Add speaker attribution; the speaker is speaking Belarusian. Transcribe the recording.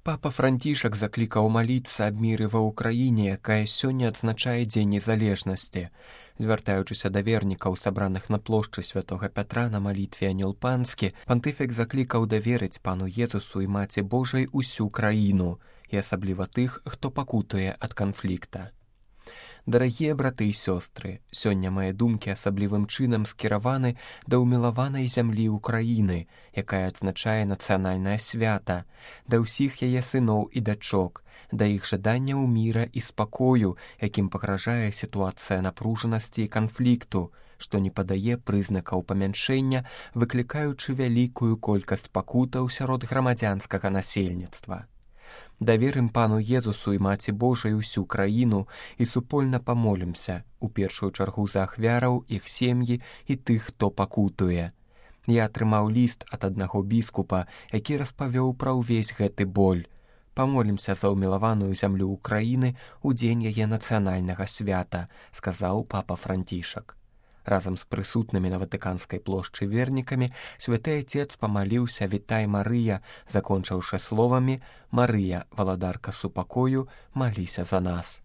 Speaker 1: Папа Францішак заклікаў маліцца аб міры ва ўкраіне, якая сёння адзначае Дзень незалежнасці. Звяртаючыся да вернікаў, сабраных на плошчы святога Пятра на малітве Анёл Панскі, пантыфік заклікаў даверыць пану Езусу і Маці Божай усю краіну, і асабліва тых, хто пакутуе ад канфлікта. Дарагія браты і сёстры, сёння мае думкі асаблівым чынам скіраваны да ўмілаванай зямлі Ўкраіны, якая адзначае нацыянальнае свята, да ўсіх яе сыноў і дачок, да іх жаданняў міра і спакою, якім пагражае сітуацыя напружанасці і канфлікту, што не падае прызнакаў памяншэння, выклікаючы вялікую колькасць пакутаў сярод грамадзянскага насельніцтва. Даверым пану Езусу і Маці Божай усю краіну і супольна памолімся, у першую чаргу за ахвяраў, іх сем'і і тых, хто пакутуе. Я атрымаў ліст ад аднаго біскупа, які распавёў пра ўвесь гэты боль. Памолімся за ўмілаваную зямлю Ўкраіны ў дзень яе нацыянальнага свята, сказаў папа Францішак. Разам з прысутнымі на Ватыканскай плошчы вернікамі святы Отец памаліўся «Вітай, Марыя», закончыўшы словамі «Марыя, валадарка супакою, маліся за нас».